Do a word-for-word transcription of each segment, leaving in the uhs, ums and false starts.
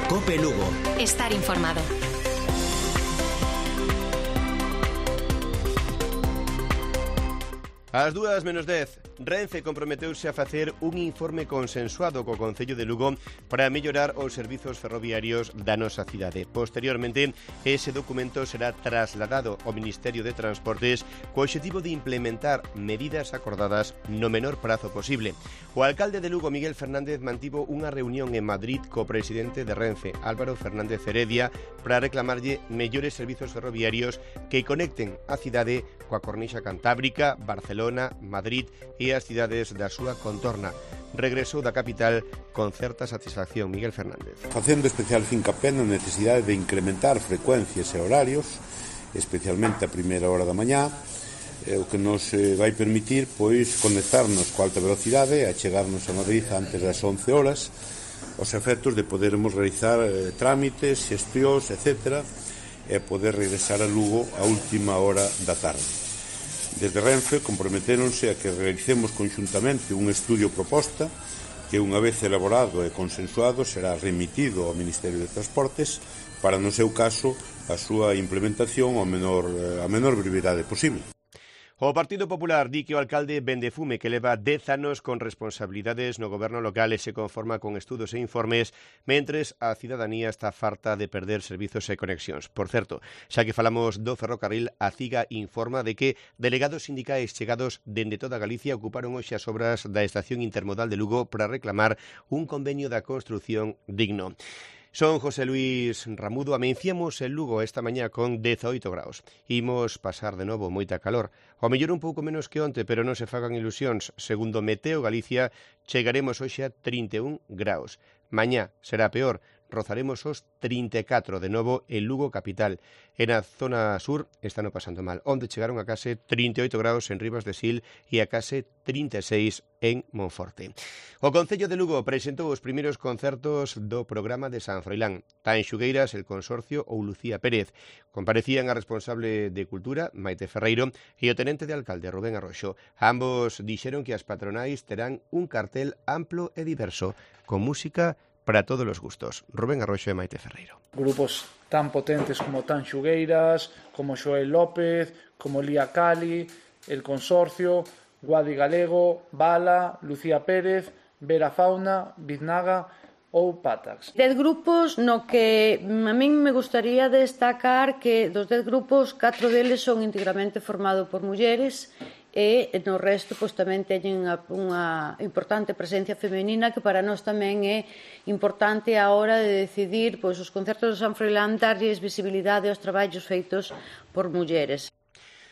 COPE Lugo. Estar informado. Ás dúas menos dez, Renfe comprometeuse a facer un informe consensuado co Concello de Lugo para mellorar os servizos ferroviarios da nosa cidade. Posteriormente, ese documento será trasladado ao Ministerio de Transportes co obxectivo de implementar medidas acordadas no menor prazo posible. O alcalde de Lugo, Miguel Fernández, mantivo unha reunión en Madrid co presidente de Renfe, Álvaro Fernández Heredia, para reclamarlle mellores servizos ferroviarios que conecten a cidade coa cornixa cantábrica, Barcelona, Madrid e as cidades da súa contorna. Regresou da capital con certa satisfacción Miguel Fernández. Facendo especial fincapé na necesidade de incrementar frecuencias e horarios, especialmente a primeira hora da mañá, o que nos vai permitir pois conectarnos coa alta velocidade e chegarnos a Madrid antes das once horas, os efectos de podermos realizar eh, trámites, xestións, etcétera, e poder regresar a Lugo a última hora da tarde. Desde Renfe comprometéronse a que realicemos conxuntamente un estudio proposta que, unha vez elaborado e consensuado, será remitido ao Ministerio de Transportes para, no seu caso, a súa implementación a menor, a menor brevidade posible. O Partido Popular di que o alcalde vende fume, que leva dez anos con responsabilidades no goberno local e se conforma con estudos e informes, mentres a cidadanía está farta de perder servizos e conexións. Por certo, xa que falamos do ferrocarril, a CIGA informa de que delegados sindicais chegados dende toda Galicia ocuparon hoxe as obras da estación intermodal de Lugo para reclamar un convenio da construción digno. Son José Luis Ramudo. Amenciamos en Lugo esta mañá con dezoito graus. Imos pasar de novo moita calor. O mellor un pouco menos que onte, pero non se fagan ilusións. Segundo Meteo Galicia, chegaremos hoxe a trinta e un graus. Mañá será peor. Rozaremos os trinta e catro de novo en Lugo capital. E na zona sur están pasando mal, onde chegaron a case trinta e oito graus en Ribas de Sil e a case trinta e seis en Monforte. O Concello de Lugo presentou os primeiros concertos do programa de San Froilán. Tanxugueiras, El Consorcio ou Lucía Pérez. Comparecían a responsable de Cultura, Maite Ferreiro, e o tenente de alcalde, Rubén Arroxo. Ambos dixeron que as patronais terán un cartel amplo e diverso, con música para todos los gustos. Rubén Arroxo e Maite Ferreiro. Grupos tan potentes como Tanxugueiras, como Xoel López, como Lía Cali, El Consorcio, Guadi Galego, Bala, Lucía Pérez, Vera Fauna, Biznaga ou Patax. Dez grupos no que a min me gustaría destacar que dos dez grupos, catro deles son íntegramente formados por mulleres e no resto pois, tamén teñen unha importante presencia femenina que para nós tamén é importante a hora de decidir pois, os concertos de San Froilán darlles visibilidade aos traballos feitos por mulleres.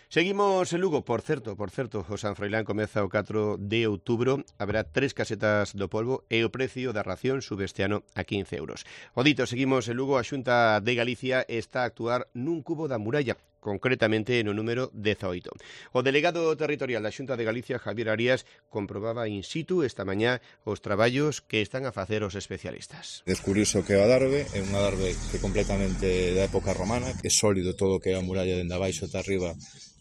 Seguimos en Lugo, por certo, por certo, o San Froilán comeza o catro de outubro, haberá tres casetas do polvo e o precio da ración sube este ano a quince euros. O dito, seguimos en Lugo, a Xunta de Galicia está a actuar nun cubo da muralla, concretamente no número dezoito. O delegado territorial da Xunta de Galicia, Javier Arias, comprobaba in situ esta mañá os traballos que están a facer os especialistas. Descubriuse o que é o adarve, é un adarve que completamente da época romana, que é sólido todo o que é a muralla dende abaixo ata arriba,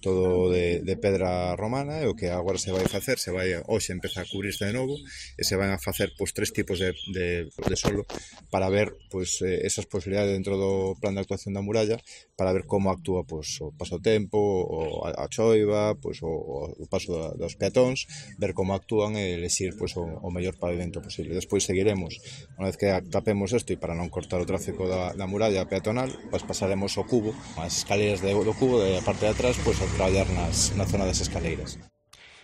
todo de, de pedra romana, e o que agora se vai facer, se vai hoxe empeza a cubrirse de novo, e se van a facer pois, tres tipos de, de, de solo para ver pois, esas posibilidades dentro do plan de actuación da muralla, para ver como actúa pois, o paso tempo, o a, a choiva, pois, o, o paso dos peatóns, ver como actúan e elexir pois, o, o mellor pavimento posible. Despois seguiremos, unha vez que tapemos isto e para non cortar o tráfico da, da muralla peatonal, pois pasaremos o cubo, as escaleras de, do cubo, da parte de atrás, pois, a traballar nas, na zona das escaleiras.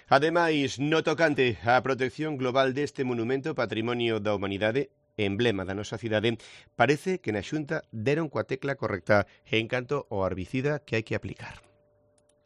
Ademais, no tocante á protección global deste monumento patrimonio da humanidade, emblema da nosa cidade, parece que na Xunta deron coa tecla correcta en canto ao herbicida que hai que aplicar.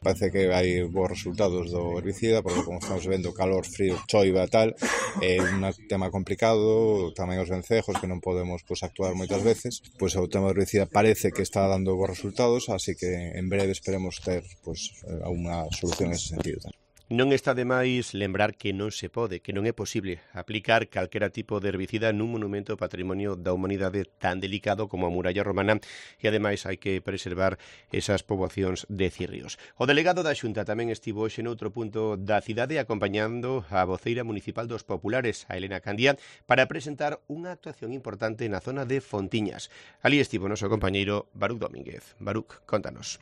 Parece que hai bons resultados do herbicida, porque como estamos vendo calor, frío, choiva e tal, é un tema complicado, tamén os vencejos que non podemos pues, actuar moitas veces, pois pues, o tema do herbicida parece que está dando bons resultados, así que en breve esperemos ter pues, unha solución en ese sentido. Non está de máis lembrar que non se pode, que non é posible aplicar calquera tipo de herbicida nun monumento patrimonio da humanidade tan delicado como a muralla romana e ademais hai que preservar esas poboacións de cirrios. O delegado da Xunta tamén estivo hoxe noutro punto da cidade acompañando a voceira municipal dos populares, a Elena Candia, para presentar unha actuación importante na zona de Fontiñas. Alí estivo o noso compañeiro Baruc Domínguez. Baruc, contanos.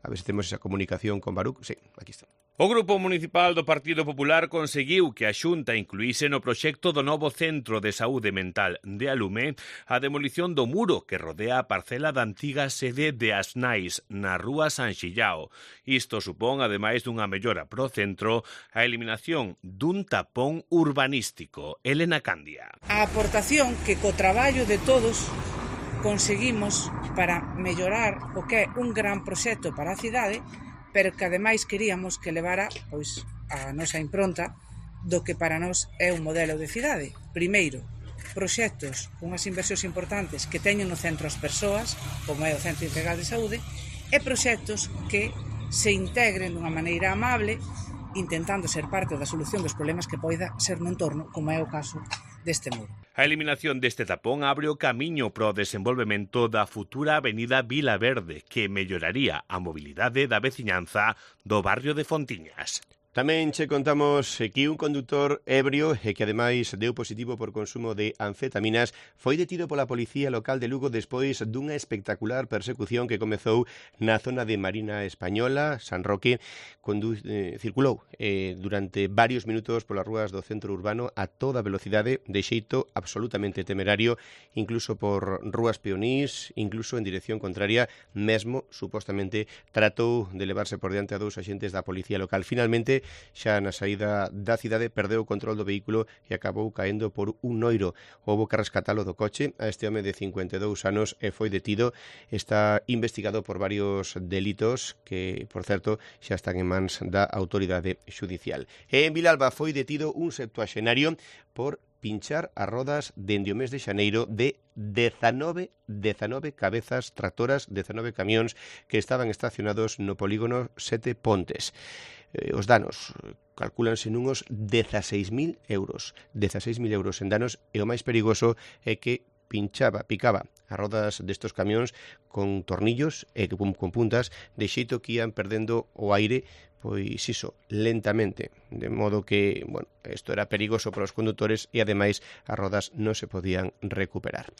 A ver se temos esa comunicación con Baruc. Sí, aquí está. O Grupo Municipal do Partido Popular conseguiu que a Xunta incluíse no proxecto do novo Centro de Saúde Mental de Alume a demolición do muro que rodea a parcela da antiga sede de Asnais na rúa San Xillao. Isto supón, ademais dunha mellora pro centro, a eliminación dun tapón urbanístico. Elena Candia. A aportación que co traballo de todos conseguimos para mellorar o que é un gran proxecto para a cidade, pero que ademais queríamos que levara pois a nosa impronta do que para nós é un modelo de cidade. Primeiro, proxectos, unhas inversións importantes que teñen no centro as persoas, como é o Centro Integral de Saúde, e proxectos que se integren dunha maneira amable, intentando ser parte da solución dos problemas que poida ser no entorno, como é o caso deste muro. A eliminación deste tapón abre o camiño para o desenvolvemento da futura avenida Vila Verde, que melloraría a mobilidade da veciñanza do barrio de Fontiñas. Tamén che contamos que un condutor ebrio e que ademais deu positivo por consumo de anfetaminas foi detido pola Policía Local de Lugo despois dunha espectacular persecución que comezou na zona de Marina Española, San Roque, condu eh, circulou eh, durante varios minutos polas rúas do centro urbano a toda velocidade, de xeito absolutamente temerario, incluso por rúas peonís, incluso en dirección contraria, mesmo, supostamente, tratou de levarse por diante a dous axentes da Policía Local. Finalmente, xa na saída da cidade perdeu o control do vehículo e acabou caendo por un noiro. Houbo que rescatalo do coche a este home de cincuenta e dous anos e foi detido. Está investigado por varios delitos que, por certo, xa están en mans da autoridade xudicial. E en Vilalba foi detido un septuaxenario por pinchar as rodas dende o mes de xaneiro de dezanove cabezas tractoras, dezanove camións que estaban estacionados no polígono Sete Pontes. Eh, os danos calcúlanse nunos dezaseis mil euros. dezaseis mil euros en danos e o máis perigoso é que pinchaba, picaba as rodas destos camións con tornillos e con, con puntas de xeito que ian perdendo o aire, pois iso, lentamente, de modo que, bueno, isto era perigoso para os condutores e ademais as rodas non se podían recuperar.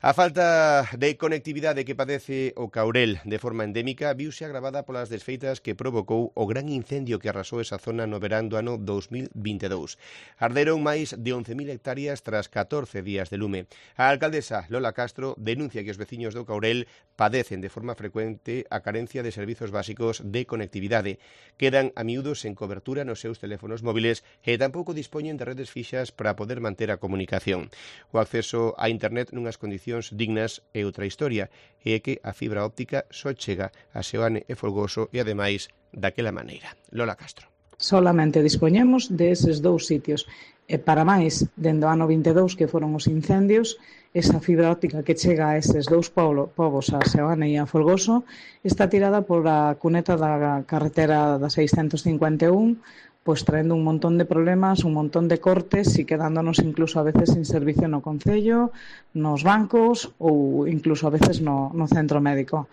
A falta de conectividade que padece o Caurel de forma endémica viuse agravada polas desfeitas que provocou o gran incendio que arrasou esa zona no verán do ano dos mil vinte e dous. Arderon máis de once mil hectáreas tras catorce días de lume. A alcaldesa Lola Castro denuncia que os veciños do Caurel padecen de forma frecuente a carencia de servizos básicos de conectividade. Quedan a miúdos en cobertura nos seus teléfonos móviles e tampouco dispoñen de redes fixas para poder manter a comunicación. O acceso a internet nunhas condicións dignas é outra historia, e é que a fibra óptica só chega a Seoane e Folgoso e ademais daquela maneira. Lola Castro. Solamente dispoñemos deses dous sitios. E para máis, dende o ano vinte e dous que foron os incendios, esa fibra óptica que chega a eses dous povos, a Seoane e a Folgoso, está tirada por a cuneta da carretera da seiscentos cincuenta e un, pois traendo un montón de problemas, un montón de cortes e quedándonos incluso a veces sin servicio no concello, nos bancos ou incluso a veces no, no centro médico.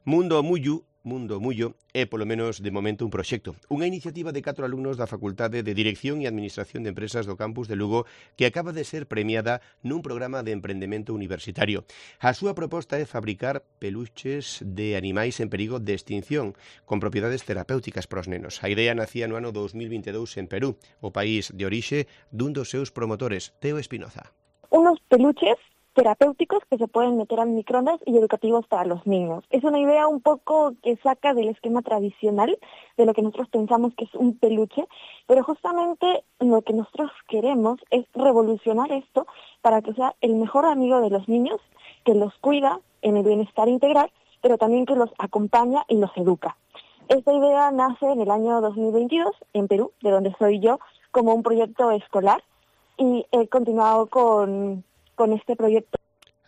Mundo Mullu Mundo Mullo é, polo menos de momento, un proxecto. Unha iniciativa de catro alumnos da Facultade de Dirección e Administración de Empresas do campus de Lugo que acaba de ser premiada nun programa de emprendemento universitario. A súa proposta é fabricar peluches de animais en perigo de extinción con propiedades terapéuticas para os nenos. A idea nacía no ano dos mil vinte e dous en Perú, o país de orixe dun dos seus promotores, Teo Espinoza. Unos peluches terapéuticos que se pueden meter al microondas y educativos para los niños. Es una idea un poco que saca del esquema tradicional de lo que nosotros pensamos que es un peluche, pero justamente lo que nosotros queremos es revolucionar esto para que sea el mejor amigo de los niños, que los cuida en el bienestar integral, pero también que los acompaña y los educa. Esta idea nace en el año dos mil veintidós en Perú, de donde soy yo, como un proyecto escolar, y he continuado con... con este proyecto.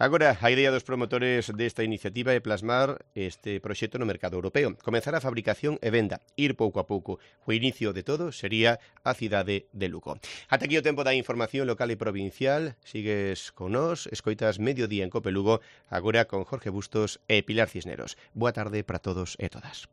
Agora, a idea dos promotores desta iniciativa é plasmar este proxecto no mercado europeo, comenzar a fabricación e venda, ir pouco a pouco. O inicio de todo sería a cidade de Lugo. Ata aquí o tempo da información local e provincial. Sigues con nós, escoitas Mediodía en Cope Lugo, agora con Jorge Bustos e Pilar Cisneros. Boa tarde para todos e todas.